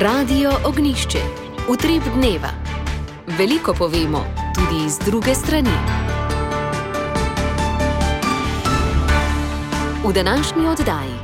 Radio Ognjišče. Utrip dneva. Veliko povemo, tudi iz druge strani. V današnji oddaji.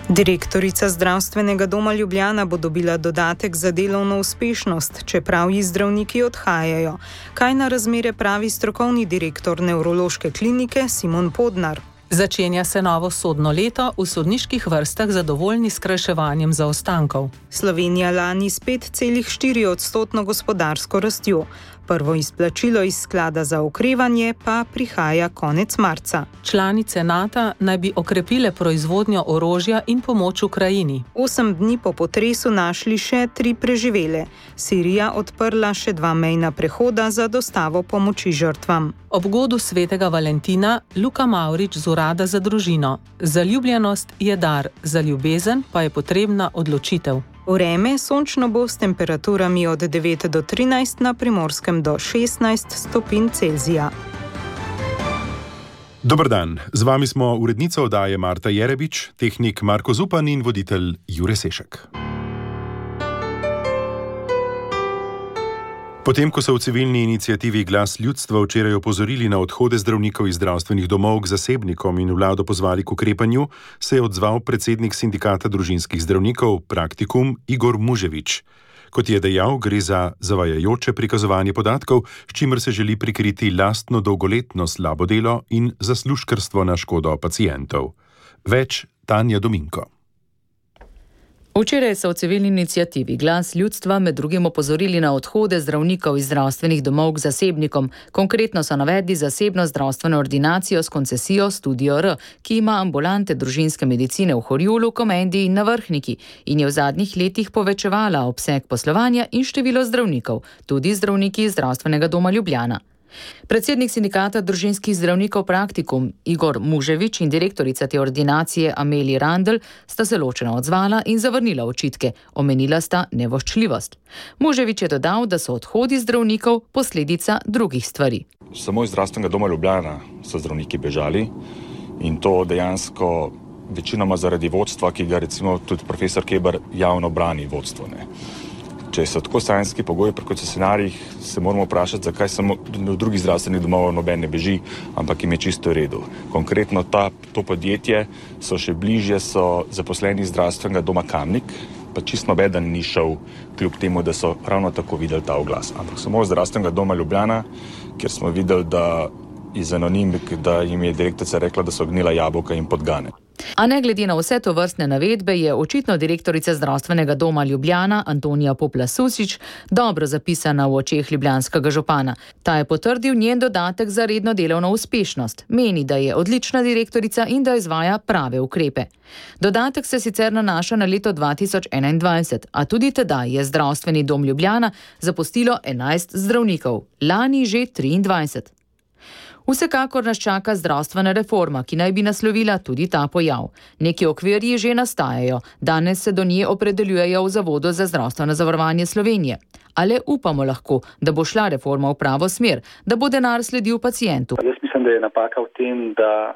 Direktorica Zdravstvenega doma Ljubljana bo dobila dodatek za delovno uspešnost, čeprav ji zdravniki odhajajo. Kaj na razmere pravi strokovni direktor nevrološke klinike Simon Podnar? Začenja se novo sodno leto, v sodniških vrstah zadovoljni s skrajševanjem zaostankov. Slovenija lani s 5,4% gospodarsko rastjo. Prvo izplačilo iz sklada za okrevanje pa prihaja konec marca. Članice NATO naj bi okrepile proizvodnjo orožja in pomoč Ukrajini. 8 dni po potresu našli še 3 preživele. Sirija odprla še 2 mejna prehoda za dostavo pomoči žrtvam. Ob godu svetega Valentina Luka Mavrič z Urada za družino. Zaljubljenost je dar, za ljubezen pa je potrebna odločitev. Vreme sončno bo s temperaturami od 9 do 13, na Primorskem do 16 stopinj Celzija. Dober dan, z vami smo urednica oddaje Marta Jerebič, tehnik Marko Zupan in voditelj Jure Sešek. Potem, ko so v civilni iniciativi Glas ljudstva včeraj opozorili na odhode zdravnikov iz zdravstvenih domov k zasebnikom in vlado pozvali k ukrepanju, se je odzval predsednik sindikata družinskih zdravnikov Praktikum Igor Muževič. Kot je dejal, gre za zavajajoče prikazovanje podatkov, s čimer se želi prikriti lastno dolgoletno slabo delo in zaslužkarstvo na škodo pacientov. Več Tanja Dominko. Včeraj so v civilni iniciativi Glas ljudstva med drugim opozorili na odhode zdravnikov iz zdravstvenih domov k zasebnikom. Konkretno so navedli zasebno zdravstveno ordinacijo s koncesijo Studio R, ki ima ambulante družinske medicine v Horjulu, Komendi in na Vrhniki in je v zadnjih letih povečevala obseg poslovanja in število zdravnikov, tudi zdravniki iz Zdravstvenega doma Ljubljana. Predsednik sindikata družinskih zdravnikov Praktikum Igor Muževič in direktorica te ordinacije Amelija Randl sta se ločeno odzvala in zavrnila očitke. Omenila sta nevoščljivost. Muževič je dodal, da so odhodi zdravnikov posledica drugih stvari. Samo iz Zdravstvenega doma Ljubljana so zdravniki bežali in to dejansko večinoma zaradi vodstva, ki ga recimo tudi profesor Keber javno brani vodstvo. Če so tako sanjski pogoji pri koncesionarjih, se moramo vprašati, zakaj samo v drugih zdravstvenih domov noben ne beži, ampak jim je čisto v redu. Konkretno to podjetje so še bližje, so zaposleni iz Zdravstvenega doma Kamnik, pa čisto nobeden ni šel, kljub temu, da so ravno tako videli ta oglas. Ampak samo iz Zdravstvenega doma Ljubljana, kjer smo videli, da iz anonimik, da jim je direktorica rekla, da so gnila jabolka in podgane. A ne glede na vse to vrstne navedbe je očitno direktorica Zdravstvenega doma Ljubljana Antonija Popla-Susič dobro zapisana v očeh ljubljanskega župana. Ta je potrdil njen dodatek za redno delovno uspešnost. Meni, da je odlična direktorica in da izvaja prave ukrepe. Dodatek se sicer nanaša na leto 2021, a tudi tedaj je Zdravstveni dom Ljubljana zapustilo 11 zdravnikov, lani že 23. Vsekakor nas čaka zdravstvena reforma, ki naj bi naslovila tudi ta pojav. Neki okvirji že nastajajo, danes se do nje opredeljujejo v Zavodu za zdravstveno zavarovanje Slovenije. Ale upamo lahko, da bo šla reforma v pravo smer, da bo denar sledil pacientu. Jaz mislim, da je napaka v tem, da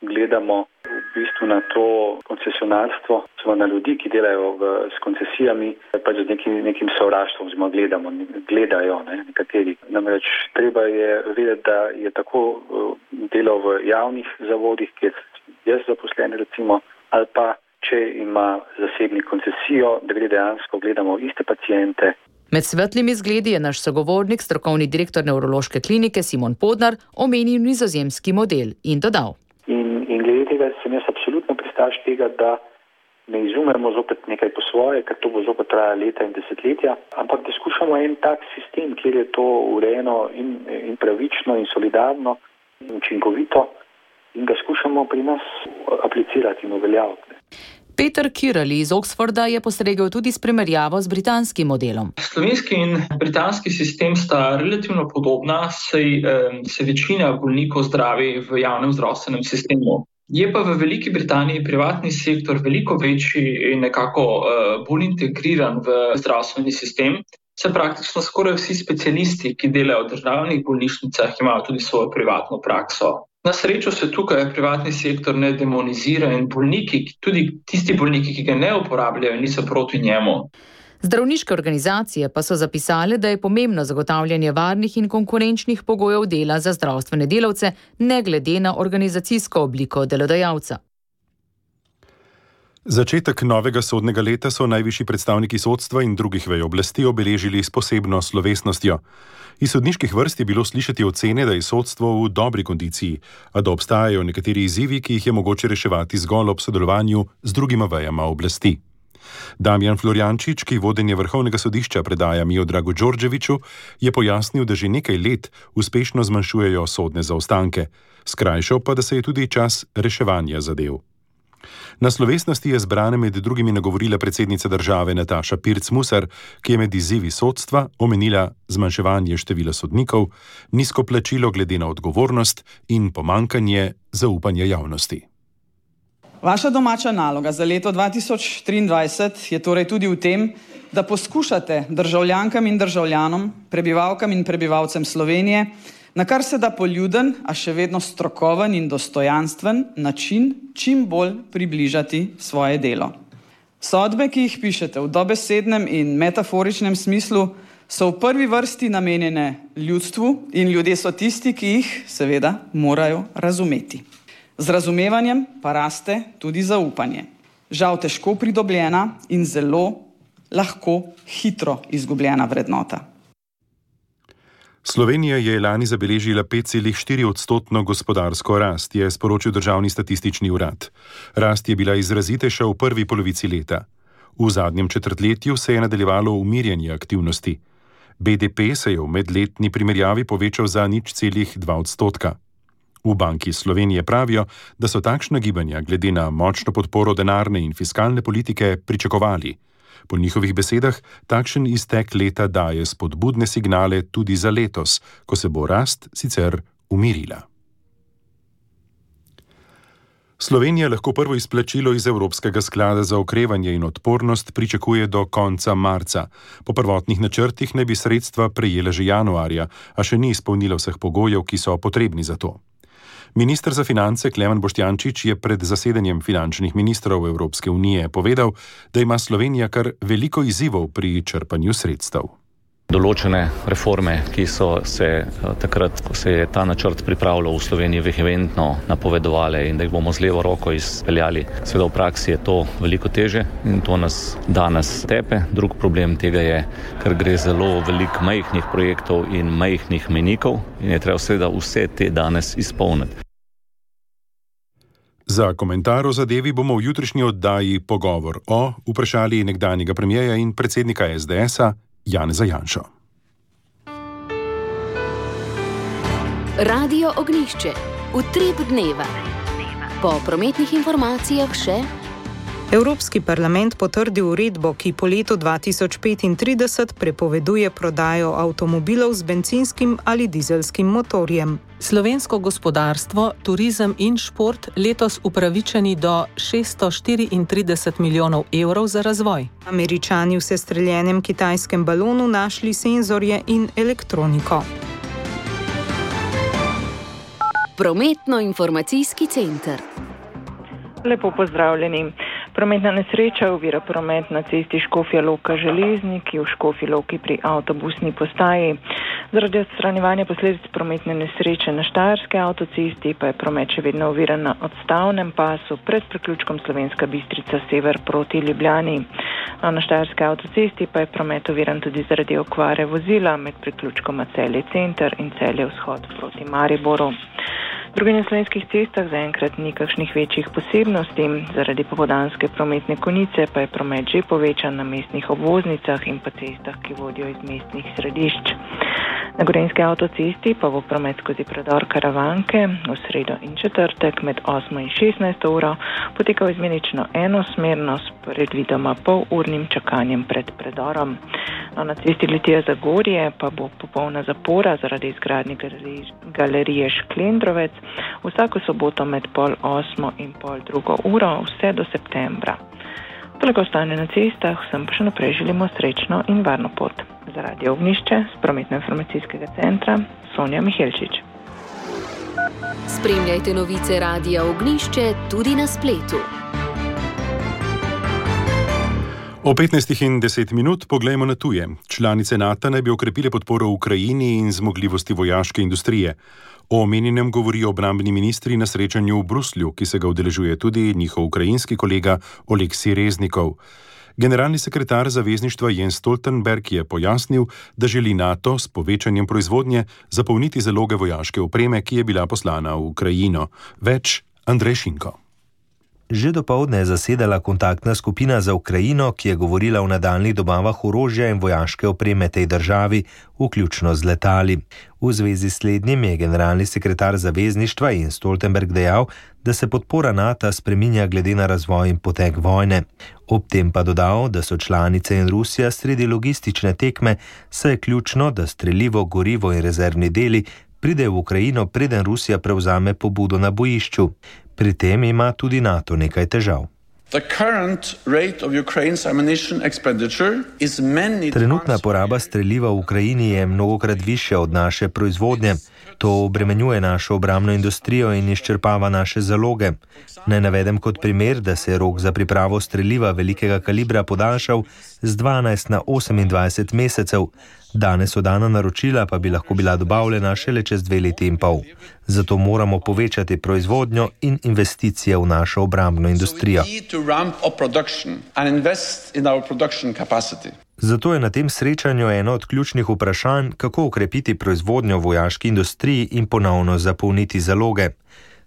gledamo v bistvu na to koncesionarstvo, na ljudi, ki delajo s koncesijami, pač z nekim sovraštvom, gledajo nekateri. Namreč treba je vedeti, da je tako delo v javnih zavodih, kjer jaz zaposlen recimo, ali pa če ima zasebnik koncesijo, da gre dejansko gledamo iste paciente. Med svetlimi zgledi je naš sogovornik, strokovni direktor nevrološke klinike Simon Podnar, omenil nizozemski model in dodal. In glede tega sem jaz absolutno pristaš tega, da ne izumemo zopet nekaj po svoje, ker to bo zopet traja leta in desetletja, ampak da skušamo en tak sistem, kjer je to urejeno in pravično in solidarno in učinkovito in ga skušamo pri nas aplicirati in uveljaviti. Peter Kirali iz Oxforda je postregel tudi s primerjavo z britanskim modelom. Slovenski in britanski sistem sta relativno podobna, saj se večina bolnikov zdravi v javnem zdravstvenem sistemu. Je pa v Veliki Britaniji privatni sektor veliko večji in nekako bolj integriran v zdravstveni sistem. Se praktično skoraj vsi specialisti, ki delajo v državnih bolnišnicah, imajo tudi svojo privatno prakso. Na srečo se tukaj privatni sektor ne demonizira in bolniki, tudi tisti bolniki, ki ga ne uporabljajo, niso proti njemu. Zdravniške organizacije pa so zapisale, da je pomembno zagotavljanje varnih in konkurenčnih pogojev dela za zdravstvene delavce, ne glede na organizacijsko obliko delodajalca. Začetek novega sodnega leta so najvišji predstavniki sodstva in drugih vej oblasti obeležili s posebno slovesnostjo. Iz sodniških vrst je bilo slišati ocene, da je sodstvo v dobri kondiciji, a da obstajajo nekateri izzivi, ki jih je mogoče reševati zgolj ob sodelovanju z drugima vejama oblasti. Damjan Florjančič, ki vodenje Vrhovnega sodišča predaja Miodragu Đorđeviću, je pojasnil, da že nekaj let uspešno zmanjšujejo sodne zaostanke, skrajšal pa, da se je tudi čas reševanja zadev. Na slovesnosti je zbrane med drugimi nagovorila predsednica države Nataša Pirc Musar, ki je med izzivi sodstva omenila zmanjševanje števila sodnikov, nizko plačilo glede na odgovornost in pomanjkanje zaupanja javnosti. Vaša domača naloga za leto 2023 je torej tudi v tem, da poskušate državljankam in državljanom, prebivalkam in prebivalcem Slovenije, na kar se da poljuden, a še vedno strokoven in dostojanstven način čim bolj približati svoje delo. Sodbe, ki jih pišete v dobesednem in metaforičnem smislu, so v prvi vrsti namenjene ljudstvu in ljudje so tisti, ki jih, seveda, morajo razumeti. Z razumevanjem pa raste tudi zaupanje. Žal težko pridobljena in zelo lahko hitro izgubljena vrednota. Slovenija je lani zabeležila 5,4% gospodarsko rast, je sporočil Državni statistični urad. Rast je bila izrazitejša v prvi polovici leta. V zadnjem četrtletju se je nadaljevalo umirjanje aktivnosti. BDP se je v medletni primerjavi povečal za 0,2%. V Banki Slovenije pravijo, da so takšna gibanja glede na močno podporo denarne in fiskalne politike pričakovali. Po njihovih besedah takšen iztek leta daje spodbudne signale tudi za letos, ko se bo rast sicer umirila. Slovenija lahko prvo izplačilo iz Evropskega sklada za okrevanje in odpornost pričakuje do konca marca. Po prvotnih načrtih naj bi sredstva prejela že januarja, a še ni izpolnila vseh pogojev, ki so potrebni za to. Minister za finance Klemen Boštjančič je pred zasedanjem finančnih ministrov Evropske unije povedal, da ima Slovenija kar veliko izzivov pri črpanju sredstev. Določene reforme, ki so se takrat, ko se je ta načrt pripravljal v Sloveniji, vehementno napovedovale in da jih bomo z levo roko izpeljali. Seveda v praksi je to veliko teže in to nas danes tepe. Drug problem tega je, ker gre zelo veliko majhnih projektov in majhnih mejnikov in je treba seveda vse te danes izpolniti. Za komentar o zadevi bomo v jutrišnji oddaji Pogovor o vprašali nekdanjega premierja in predsednika SDS-a Janeza Janšo. Radio Ognjišče. Utrip dneva. Po prometnih informacijah še. Evropski parlament potrdil uredbo, ki po letu 2035 prepoveduje prodajo avtomobilov z bencinskim ali dizelskim motorjem. Slovensko gospodarstvo, turizem in šport letos upravičeni do 634 milijonov evrov za razvoj. Američani v sestreljenem kitajskem balonu našli senzorje in elektroniko. Prometno-informacijski center. Lepo pozdravljeni. Prometna nesreča ovira promet na cesti Škofja Loka Železniki v Škofji Loki pri avtobusni postaji. Zaradi odstranjevanja posledic prometne nesreče na Štajerski avtocesti pa je promet še vedno oviran na odstavnem pasu pred priključkom Slovenska Bistrica sever proti Ljubljani. Na Štajerski avtocesti pa je promet oviran tudi zaradi okvare vozila med priključkoma Celje center in Celje vzhod proti Mariboru. Drugi na slovenskih cestah zaenkrat ni kakšnih večjih posebnosti, zaradi popoldanske prometne konice pa je promet že povečan na mestnih obvoznicah in pa cestah, ki vodijo iz mestnih središč. Na Gorenjski avtocesti pa bo promet skozi predor Karavanke v sredo in četrtek med 8 in 16 uro potekal izmenično enosmerno s predvidoma polurnim čakanjem pred predorom. Na cesti Litija-Zagorje pa bo popolna zapora zaradi izgradnje galerije Šklendrovec vsako soboto med 7:30 in 7:30 uro vse do septembra. Toliko stanje na cestah, vsem pa še naprej želimo srečno in varno pot. Za Radio Ognjišče z Prometno-informacijskega centra Sonja Mihelčič. Spremljajte novice Radia Ognjišče tudi na spletu. O 15:10 poglejmo na tuje. Članice NATO naj bi okrepile podporo Ukrajini in zmogljivosti vojaške industrije. O omenjenem govorijo obrambni ministri na srečanju v Bruslju, ki se ga udeležuje tudi njihov ukrajinski kolega Oleksij Reznikov. Generalni sekretar zavezništva Jens Stoltenberg je pojasnil, da želi NATO s povečanjem proizvodnje zapolniti zaloge vojaške opreme, ki je bila poslana v Ukrajino. Več Andrej Šinko. Že dopoldne je zasedala kontaktna skupina za Ukrajino, ki je govorila o nadaljnjih dobavah orožja in vojaške opreme tej državi, vključno z letali. V zvezi s slednjim je generalni sekretar zavezništva Jens Stoltenberg dejal, da se podpora NATO spreminja glede na razvoj in potek vojne. Ob tem pa dodal, da so članice in Rusija sredi logistične tekme, saj je ključno, da strelivo, gorivo in rezervni deli pridejo v Ukrajino, preden Rusija prevzame pobudo na bojišču. Pri tem ima tudi NATO nekaj težav. Trenutna poraba streliva v Ukrajini je mnogokrat višja od naše proizvodnje. To obremenjuje našo obrambno industrijo in izčrpava naše zaloge. Naj navedem kot primer, da se je rok za pripravo streliva velikega kalibra podaljšal z 12 na 28 mesecev. Danes oddana naročila pa bi lahko bila dobavljena šele čez 2 leti in pol. Zato moramo povečati proizvodnjo in investicije v našo obrambno industrijo. Zato je na tem srečanju eno od ključnih vprašanj, kako ukrepiti proizvodnjo v vojaški industriji in ponovno zapolniti zaloge.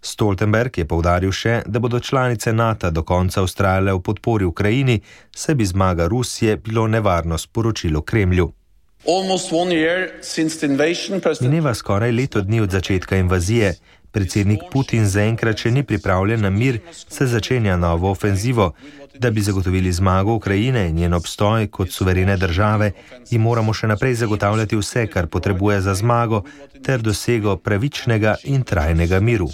Stoltenberg je poudaril še, da bodo članice NATO do konca vztrajale v podpori Ukrajini, saj bi zmaga Rusije bilo nevarno sporočilo Kremlju. Mineva skoraj leto dni od začetka invazije. Predsednik Putin zaenkrat še ni pripravljen na mir, se začenja novo ofenzivo. Da bi zagotovili zmago Ukrajine in njen obstoj kot suverene države, ji moramo še naprej zagotavljati vse, kar potrebuje za zmago, ter dosego pravičnega in trajnega miru.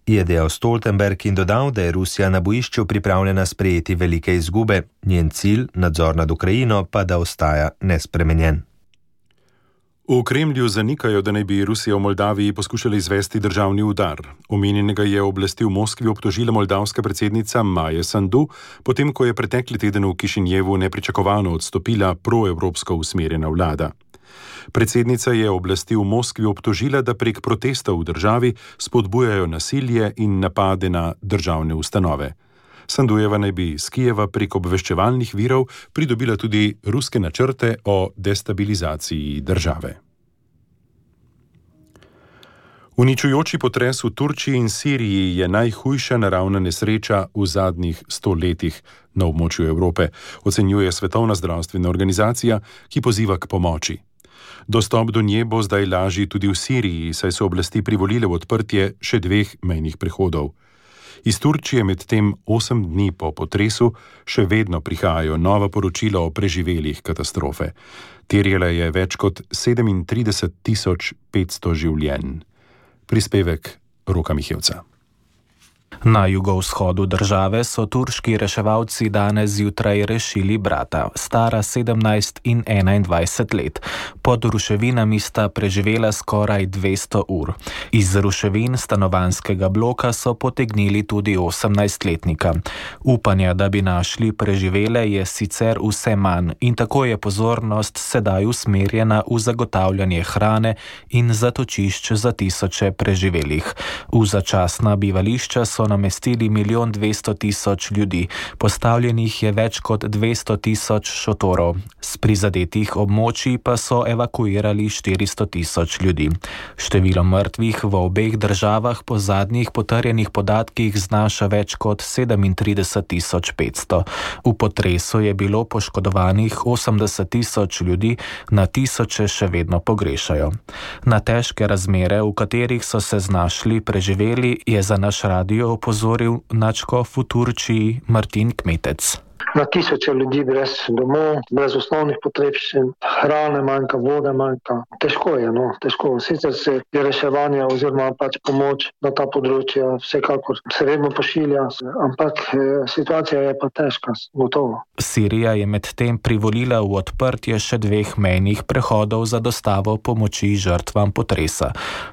Je dejal Stoltenberg in dodal, da je Rusija na bojišču pripravljena sprejeti velike izgube. Njen cilj, nadzor nad Ukrajino, pa da ostaja nespremenjen. V Kremlju zanikajo, da naj bi Rusija v Moldaviji poskušala izvesti državni udar. Omenjenega je oblasti v Moskvi obtožila moldavska predsednica Maja Sandu, potem ko je pretekli teden v Kišinjevu nepričakovano odstopila proevropsko usmerjena vlada. Predsednica je oblasti v Moskvi obtožila, da prek protestov v državi spodbujajo nasilje in napade na državne ustanove. Sandujeva naj bi iz Kijeva prek obveščevalnih virov pridobila tudi ruske načrte o destabilizaciji države. Uničujoči potres v Turčiji in Siriji je najhujša naravna nesreča v zadnjih 100 letih na območju Evrope, ocenjuje Svetovna zdravstvena organizacija, ki poziva k pomoči. Dostop do nje bo zdaj lažji tudi v Siriji, saj so oblasti privolile v odprtje še 2 mejnih prehodov. Iz Turčije medtem 8 dni po potresu še vedno prihajajo nova poročila o preživelih katastrofe. Terjala je več kot 37.500 življenj. Prispevek Roka Mihevca. Na jugovzhodu države so turški reševalci danes zjutraj rešili brata, stara 17 in 21 let. Pod ruševinami sta preživela skoraj 200 ur. Iz ruševin stanovanjskega bloka so potegnili tudi 18-letnika. Upanja, da bi našli preživele, je sicer vse manj in tako je pozornost sedaj usmerjena v zagotavljanje hrane in zatočišč za tisoče preživelih. V začasna bivališča so namestili 1.200.000 ljudi, postavljenih je več kot 200.000 šotorov. Z prizadetih območij pa so evakuirali 400.000 ljudi. Število mrtvih v obeh državah po zadnjih potrjenih podatkih znaša več kot 37.500. V potresu je bilo poškodovanih 80.000 ljudi, na tisoče še vedno pogrešajo. Na težke razmere, v katerih so se znašli preživeli, je za naš radio opozoril nadškof v Turčiji Martin Kmetec. Na tisoče ljudi brez domov, brez osnovnih potrebščin, hrane manjka, vode manjka. Težko je, težko. Sicer se je reševanje oziroma pomoč na ta področja vsekakor se redno pošilja, ampak situacija je pa težka, gotovo. Sirija je medtem privolila v odprtje še 2 mejnih prehodov za dostavo pomoči žrtvam potresa.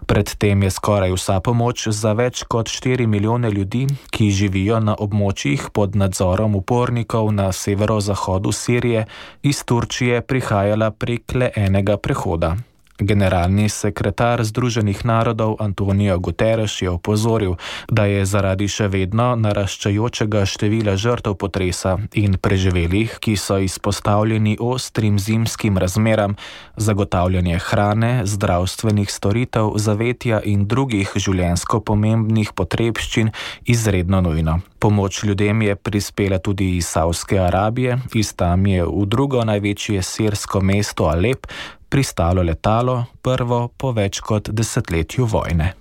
Predtem je skoraj vsa pomoč za več kot 4 milijone ljudi, ki živijo na območjih pod nadzorom upornikov, beguncev na severozahodu Sirije iz Turčije prihajala prek le enega prehoda. Generalni sekretar Združenih narodov Antonio Guterres je opozoril, da je zaradi še vedno naraščajočega števila žrtev potresa in preživelih, ki so izpostavljeni ostrim zimskim razmeram, zagotavljanje hrane, zdravstvenih storitev, zavetja in drugih življenjsko pomembnih potrebščin izredno nujno. Pomoč ljudem je prispela tudi iz Savdske Arabije, iz tam je v drugo največje sirsko mesto Alep pristalo letalo, prvo po več kot desetletju vojne.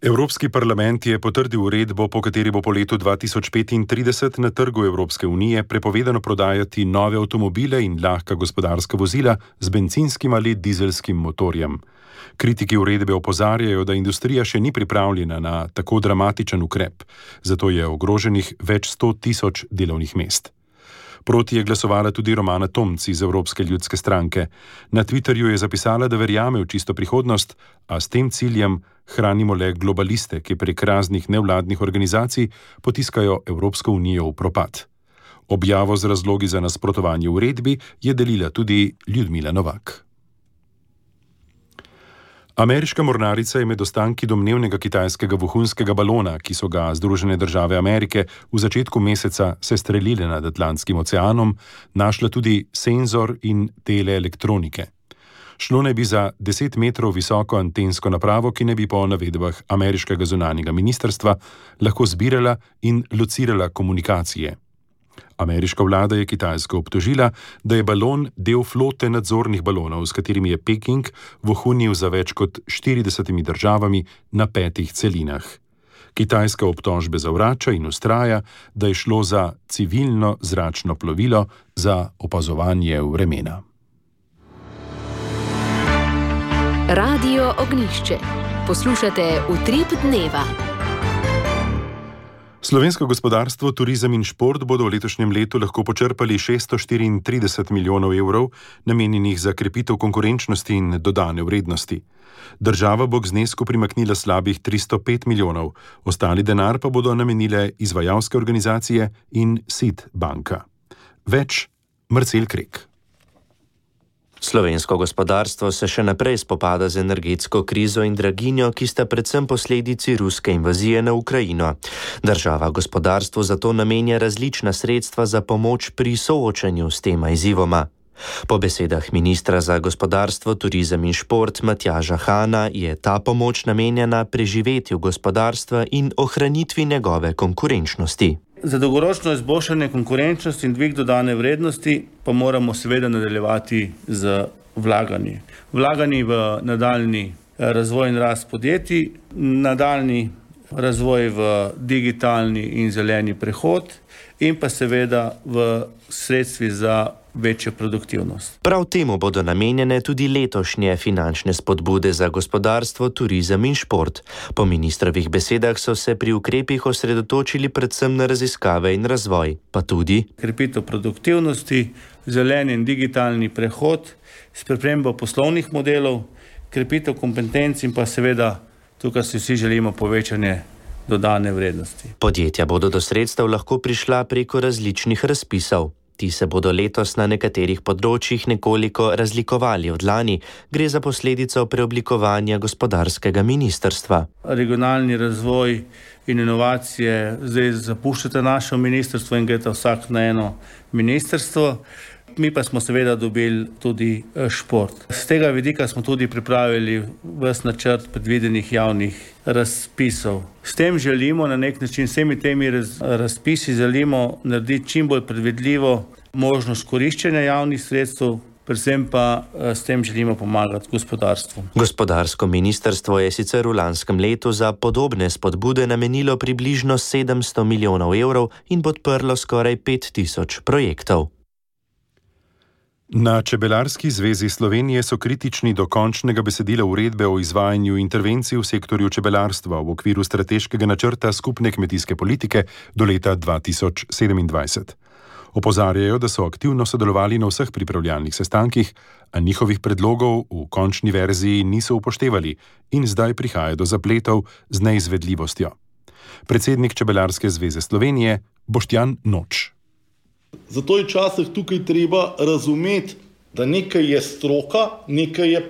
Evropski parlament je potrdil uredbo, po kateri bo po letu 2035 na trgu Evropske unije prepovedano prodajati nove avtomobile in lahka gospodarska vozila z bencinskim ali dizelskim motorjem. Kritiki uredbe opozarjajo, da industrija še ni pripravljena na tako dramatičen ukrep, zato je ogroženih več 100.000 delovnih mest. Proti je glasovala tudi Romana Tomc iz Evropske ljudske stranke. Na Twitterju je zapisala, da verjame v čisto prihodnost, a s tem ciljem hranimo le globaliste, ki prek raznih nevladnih organizacij potiskajo Evropsko unijo v propad. Objavo z razlogi za nasprotovanje uredbi je delila tudi Ljudmila Novak. Ameriška mornarica je med ostanki domnevnega kitajskega vohunskega balona, ki so ga Združene države Amerike v začetku meseca sestrelile nad Atlantskim oceanom, našla tudi senzor in teleelektronike. Šlo naj bi za 10 metrov visoko antensko napravo, ki naj bi po navedbah ameriškega zunanjega ministrstva lahko zbirala in locirala komunikacije. Ameriška vlada je Kitajsko obtožila, da je balon del flote nadzornih balonov, s katerimi je Peking vohunil za več kot 40 državami na 5 celinah. Kitajska obtožbe zavrača in ustraja, da je šlo za civilno zračno plovilo za opazovanje vremena. Radio Ognjišče. Poslušate Utrip dneva. Slovensko gospodarstvo, turizem in šport bodo v letošnjem letu lahko počrpali 634 milijonov evrov, namenjenih za krepitev konkurenčnosti in dodane vrednosti. Država bo k znesku primaknila slabih 305 milijonov, ostali denar pa bodo namenile izvajalske organizacije in SID banka. Več Marcel Krek. Slovensko gospodarstvo se še naprej spopada z energetsko krizo in draginjo, ki sta predvsem posledici ruske invazije na Ukrajino. Država gospodarstvu zato namenja različna sredstva za pomoč pri soočanju s tema izzivoma. Po besedah ministra za gospodarstvo, turizem in šport Matjaža Hana je ta pomoč namenjena preživetju gospodarstva in ohranitvi njegove konkurenčnosti. Za dolgoročno izboljšanje konkurenčnosti in dvig dodane vrednosti pa moramo seveda nadaljevati z vlaganji. Vlaganji v nadaljni razvoj in rast podjetij, nadaljni razvoj v digitalni in zeleni prehod in pa seveda v sredstvi za večjo produktivnost. Prav temu bodo namenjene tudi letošnje finančne spodbude za gospodarstvo, turizem in šport. Po ministrovih besedah so se pri ukrepih osredotočili predvsem na raziskave in razvoj, pa tudi krepitev produktivnosti, zeleni in digitalni prehod, spremembo poslovnih modelov, krepitev kompetenc in pa seveda tukaj si vsi želimo povečanje dodane vrednosti. Podjetja bodo do sredstev lahko prišla preko različnih razpisov. Ti se bodo letos na nekaterih področjih nekoliko razlikovali od lani. Gre za posledico preoblikovanja gospodarskega ministrstva. Regionalni razvoj in inovacije zdaj zapuščata naše ministrstvo in greta vsak na eno ministrstvo. Mi pa smo seveda dobili tudi šport. Z tega vidika smo tudi pripravili ves načrt predvidenih javnih razpisov. S tem želimo na nek način, vsemi temi razpisi želimo narediti čim bolj predvidljivo možnost koriščenja javnih sredstev, predvsem pa s tem želimo pomagati gospodarstvu. Gospodarsko ministrstvo je sicer v lanskem letu za podobne spodbude namenilo približno 700 milijonov evrov in podprlo skoraj 5000 projektov. Na Čebelarski zvezi Slovenije so kritični do končnega besedila uredbe o izvajanju intervencij v sektorju čebelarstva v okviru strateškega načrta skupne kmetijske politike do leta 2027. Opozarjajo, da so aktivno sodelovali na vseh pripravljalnih sestankih, a njihovih predlogov v končni verziji niso upoštevali in zdaj prihaja do zapletov z neizvedljivostjo. Predsednik Čebelarske zveze Slovenije Boštjan Noč. Zato je včasih tukaj treba razumeti, da nekaj je stroka, nekaj je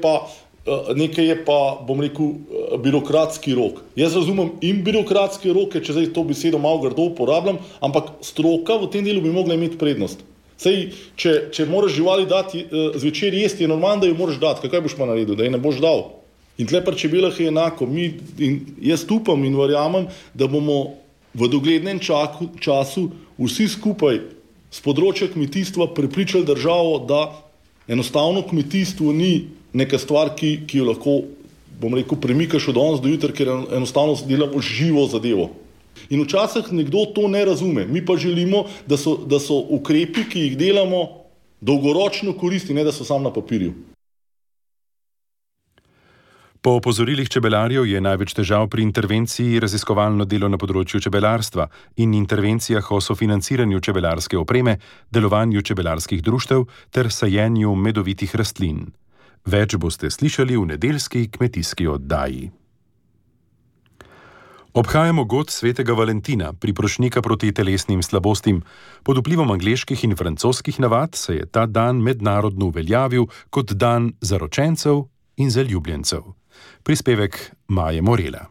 pa, bom rekel, birokratski rok. Jaz razumem in birokratske roke, če zdaj to besedo malo grdo uporabljam, ampak stroka v tem delu bi mogla imeti prednost. Sej, če moraš živali dati zvečer jesti, je normalno, da jo moraš dati. Kaj boš pa naredil, da je ne boš dal? In tle pri čebelah je enako. Jaz upam in verjamem, da bomo v doglednem času vsi skupaj z področja kmetijstva prepričali državo, da enostavno kmetijstvo ni neka stvar, ki jo lahko, bom rekel, premikaš od danes do jutra, ker enostavno delamo živo zadevo. In včasih nekdo to ne razume. Mi pa želimo, da so ukrepi, ki jih delamo, dolgoročno koristni, ne da so samo na papirju. Po opozorilih čebelarjev je največ težav pri intervenciji raziskovalno delo na področju čebelarstva in intervencijah o sofinanciranju čebelarske opreme, delovanju čebelarskih društev ter sajenju medovitih rastlin. Več boste slišali v nedeljski kmetijski oddaji. Obhajamo god svetega Valentina, priprošnika proti telesnim slabostim. Pod vplivom angleških in francoskih navad se je ta dan mednarodno uveljavil kot dan zaročencev in zaljubljencev. Prispevek Maje Morela.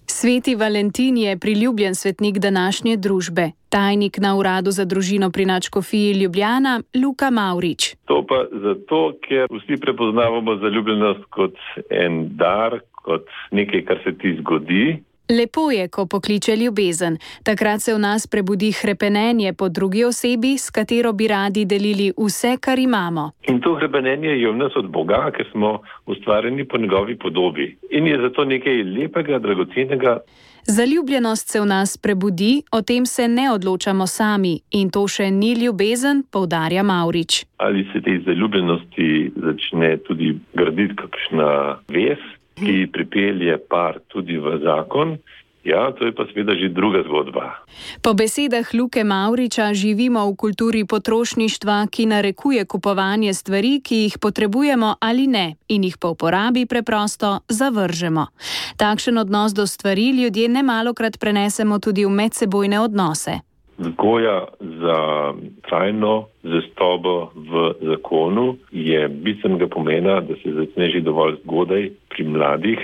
Sveti Valentin je priljubljen svetnik današnje družbe. Tajnik na uradu za družino pri Nadškofiji Ljubljana, Luka Mavrič. To pa zato, ker vsi prepoznavamo zaljubljenost kot en dar, kot nekaj, kar se ti zgodi. Lepo je, ko pokliče ljubezen. Takrat se v nas prebudi hrepenenje po drugi osebi, s katero bi radi delili vse, kar imamo. In to hrepenenje je v nas od Boga, ker smo ustvarjeni po njegovi podobi. In je zato nekaj lepega, dragocenega. Zaljubljenost se v nas prebudi, o tem se ne odločamo sami. In to še ni ljubezen, poudarja Mavrič. Ali se tej zaljubljenosti začne tudi graditi kakšna vez, ki pripelje par tudi v zakon, ja, to je pa seveda že druga zgodba. Po besedah Luke Mavriča živimo v kulturi potrošništva, ki narekuje kupovanje stvari, ki jih potrebujemo ali ne, in jih po uporabi preprosto zavržemo. Takšen odnos do stvari ljudje nemalokrat prenesemo tudi v medsebojne odnose. Vzgoja za trajno zvestobo v zakonu je bistvenega pomena, da se začne že dovolj zgodaj pri mladih,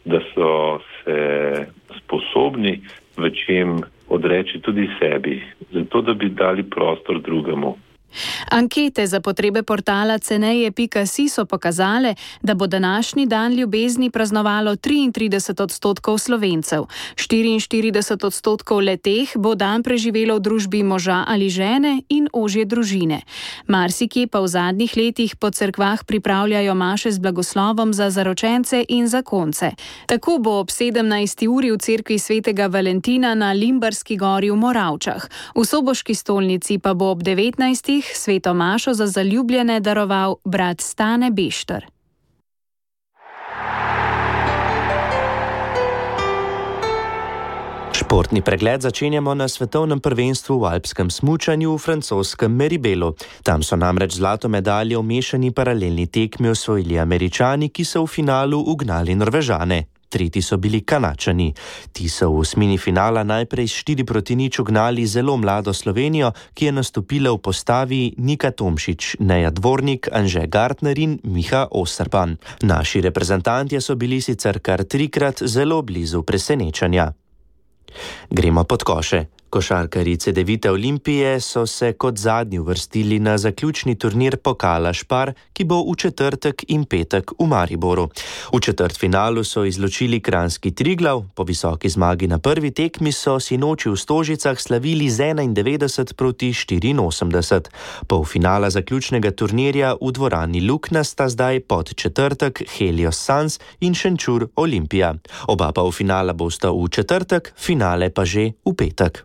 da so se sposobni v čem odreči tudi sebi, zato da bi dali prostor drugemu. Ankete za potrebe portala ceneje.si so pokazale, da bo današnji dan ljubezni praznovalo 33% Slovencev. 44% le-teh bo dan preživelo v družbi moža ali žene in ožje družine. Marsikje pa v zadnjih letih po cerkvah pripravljajo maše z blagoslovom za zaročence in zakonce. Tako bo ob 17. uri v cerkvi svetega Valentina na Limbarski gori v Moravčah. V Soboški stolnici pa bo ob 19. sveto mašo za zaljubljene daroval brat Stane Bešter. Športni pregled začenjamo na svetovnem prvenstvu v alpskem smučanju v francoskem Meribelu. Tam so namreč zlato medaljo v mešani paralelni tekmi osvojili Američani, ki so v finalu ugnali Norvežane. Tretji so bili Kanačani. Ti so v osmini finala najprej s 4-0 ugnali zelo mlado Slovenijo, ki je nastopila v postavi Nika Tomšič, Neja Dvornik, Anže Gartner in Miha Osterpan. Naši reprezentantje so bili sicer kar 3-krat zelo blizu presenečenja. Gremo pod koše. Košarkarji Cedevite Olimpije so se kot zadnji uvrstili na zaključni turnir pokala Špar, ki bo v četrtek in petek v Mariboru. V četrtfinalu so izločili kranjski Triglav, po visoki zmagi na prvi tekmi so sinoči v Stožicah slavili z 91-84. Polfinala zaključnega turnirja v dvorani Lukna sta zdaj pod četrtek Helios Sans in Šenčur Olimpija. Oba polfinala bosta v četrtek, finale pa že v petek.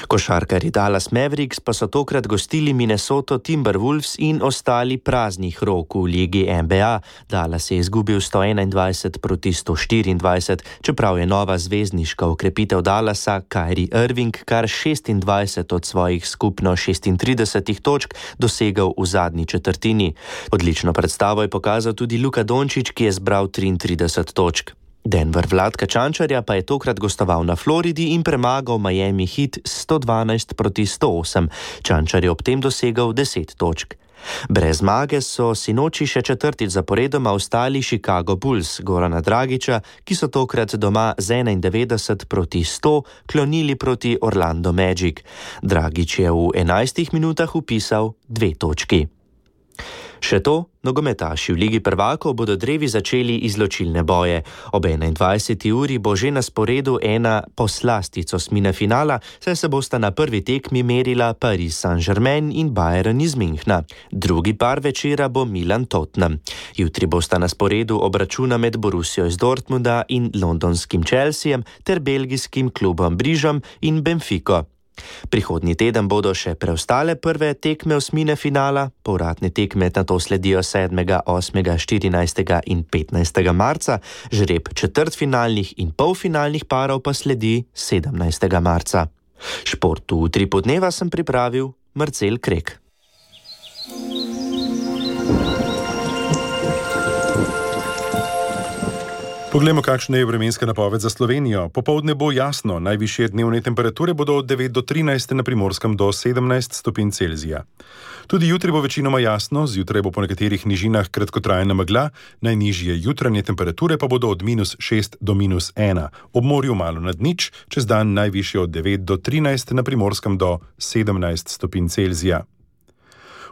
Košarkarji Dallas Mavericks pa so tokrat gostili Minnesota Timberwolves in ostali praznih rok v ligi NBA. Dallas je izgubil 121-124, čeprav je nova zvezdniška okrepitev Dallasa Kyrie Irving kar 26 od svojih skupno 36 točk dosegel v zadnji četrtini. Odlično predstavo je pokazal tudi Luka Dončić, ki je zbral 33 točk. Denver Vladka Čančarja pa je tokrat gostoval na Floridi in premagal Miami Heat 112-108. Čančar je ob tem dosegel 10 točk. Brez zmage so sinoči še četrtič zaporedoma ostali Chicago Bulls Gorana Dragića, ki so tokrat doma z 91-100 klonili proti Orlando Magic. Dragić je v 11 minutah vpisal 2 točki. Še to, nogometaši v Ligi prvakov bodo drevi začeli izločilne boje. Ob 21. uri bo že na sporedu ena poslastica osmine finala, saj se bosta na prvi tekmi merila Paris Saint-Germain in Bayern iz Münchna. Drugi par večera bo Milan-Tottenham. Jutri bosta na sporedu obračuna med Borussijo iz Dortmunda in londonskim Chelseajem ter belgijskim klubom Brižom in Benfico. Prihodnji teden bodo še preostale prve tekme osmine finala, povratne tekme nato sledijo 7., 8., 14. in 15. marca, žreb četrtfinalnih in polfinalnih parov pa sledi 17. marca. Šport v Utripu dneva sem pripravil Marcel Krek. Poglejmo, kakšna je vremenska napoved za Slovenijo. Popoldne bo jasno, najvišje dnevne temperature bodo od 9 do 13, na Primorskem do 17 stopinj Celzija. Tudi jutri bo večinoma jasno, zjutraj bo po nekaterih nižinah kratkotrajna megla, najnižje jutranje temperature pa bodo od -6 do -1, ob morju malo nad nič, čez dan najvišje od 9 do 13, na Primorskem do 17 stopinj Celzija.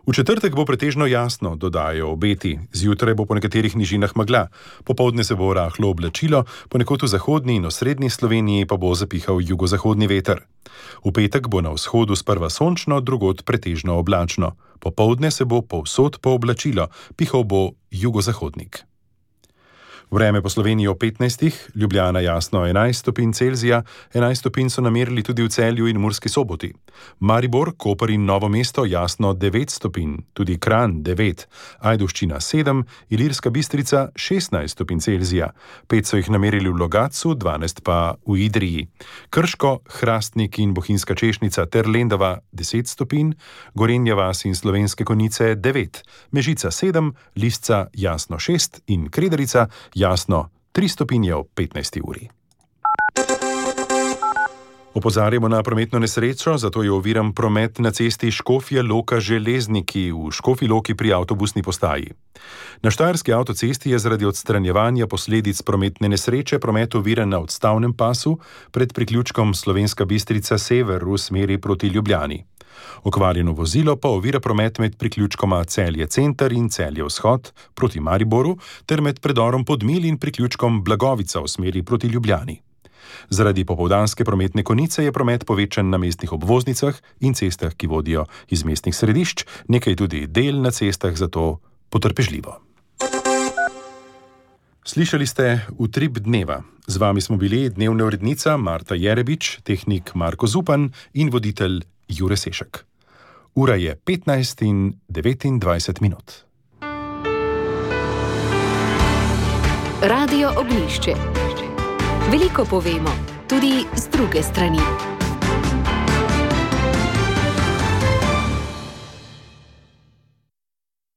V četrtek bo pretežno jasno, dodajo obeti. Zjutraj bo po nekaterih nižinah megla. Popoldne se bo rahlo oblačilo, ponekod v zahodni in osrednji Sloveniji pa bo zapihal jugozahodni veter. V petek bo na vzhodu sprva sončno, drugod pretežno oblačno. Popoldne se bo povsod pooblačilo, pihal bo jugozahodnik. Vreme po Sloveniji o 15, Ljubljana jasno 11 stopinj Celzija, 11 stopinj so namerili tudi v Celju in Murski Soboti. Maribor, Koper in Novo mesto jasno 9 stopinj, tudi Kranj 9, Ajdovščina 7, Ilirska Bistrica 16 stopinj Celzija, 5 so jih namerili v Logatcu, 12 pa v Idriji. Krško, Hrastnik in Bohinjska Češnica ter Lendava 10 stopinj, Gorenja vas in Slovenske Konjice 9, Mežica 7, Lisca jasno 6 in Kredarica jasno 3 stopinje ob 15. uri. Opozarjamo na prometno nesrečo, zato je oviran promet na cesti Škofja Loka-Železniki v Škofji Loki pri avtobusni postaji. Na štajerski avtocesti je zaradi odstranjevanja posledic prometne nesreče promet oviran na odstavnem pasu pred priključkom Slovenska Bistrica sever v smeri proti Ljubljani. Okvarjeno vozilo pa ovira promet med priključkoma Celje center in Celje vzhod proti Mariboru ter med predorom Podmilj in priključkom Blagovica v smeri proti Ljubljani. Zaradi popoldanske prometne konice je promet povečan na mestnih obvoznicah in cestah, ki vodijo iz mestnih središč, nekaj tudi del na cestah, zato potrpežljivo. Slišali ste Utrip dneva. Z vami smo bili dnevna urednica Marta Jerebič, tehnik Marko Zupan in voditelj Jure Sešek. Ura je 15:29 minut. Radio Ognjišče. Veliko povemo, tudi z druge strani.